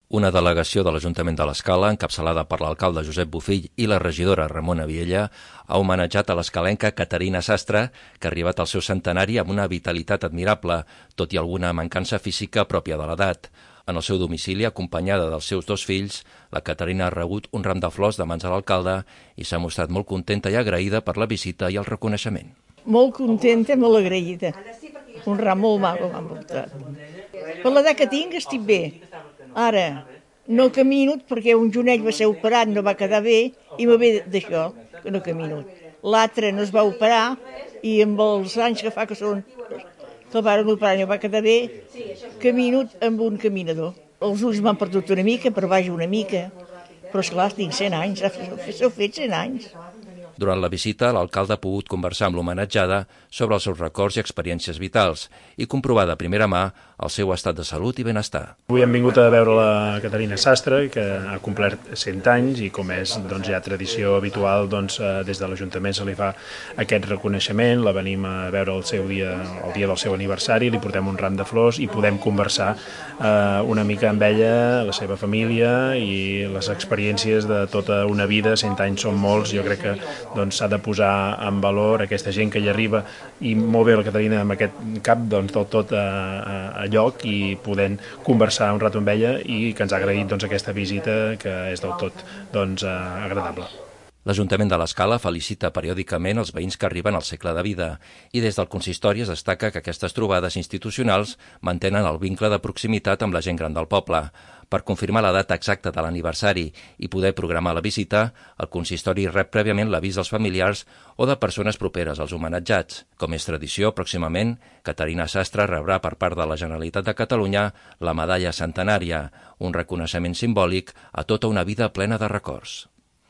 Una delegació de l'Ajuntament de l'Escala, encapçalada per l'alcalde Josep Bofill i la regidora Ramona Viella, ha homenatjat a l'escalenca Caterina Sastre, que ha arribat al seu centenari amb una vitalitat admirable, tot i alguna mancança física pròpia de l'edat. En el seu domicili, acompanyada dels seus dos fills, la Caterina ha rebut un ram de flors de mans de l'alcalde i s'ha mostrat molt contenta i agraïda per la visita i el reconeixement. Molt contenta, molt agraïda. Un ram molt maco m'han portat. Per l'edat que tinc estic bé. Ara, no camino perquè un jonell va ser operat, no va quedar bé, i me ve d'això, que no camino. L'altre no es va operar i amb els anys que fa que són que el van operar no va quedar bé, camino amb un caminador. Els ulls m'han perdut una mica, per baix una mica, però esclar, tinc 100 anys, s'ho fet 100 anys. Durant la visita, l'alcalde ha pogut conversar amb l'homenatjada sobre els seus records i experiències vitals i comprovar de primera mà el seu estat de salut i benestar. Avui hem vingut a veure la Caterina Sastre, que ha complert 100 anys i com és ja tradició habitual, des de l'Ajuntament se li fa aquest reconeixement, la venim a veure el dia del seu aniversari, li portem un ram de flors i podem conversar una mica amb ella, la seva família i les experiències de tota una vida. 100 anys són molts, jo crec que s'ha de posar en valor aquesta gent que hi arriba i molt bé la Caterina amb aquest cap del tot a lloc i podent conversar un rato amb ella i que ens ha agraït aquesta visita que és del tot agradable. L'Ajuntament de l'Escala felicita periòdicament els veïns que arriben al segle de vida i des del consistori es destaca que aquestes trobades institucionals mantenen el vincle de proximitat amb la gent gran del poble. Per confirmar la data exacta de l'aniversari i poder programar la visita, el consistori rep prèviament l'avís dels familiars o de persones properes als homenatjats. Com és tradició, pròximament, Caterina Sastre rebrà per part de la Generalitat de Catalunya la medalla centenària, un reconeixement simbòlic a tota una vida plena de records.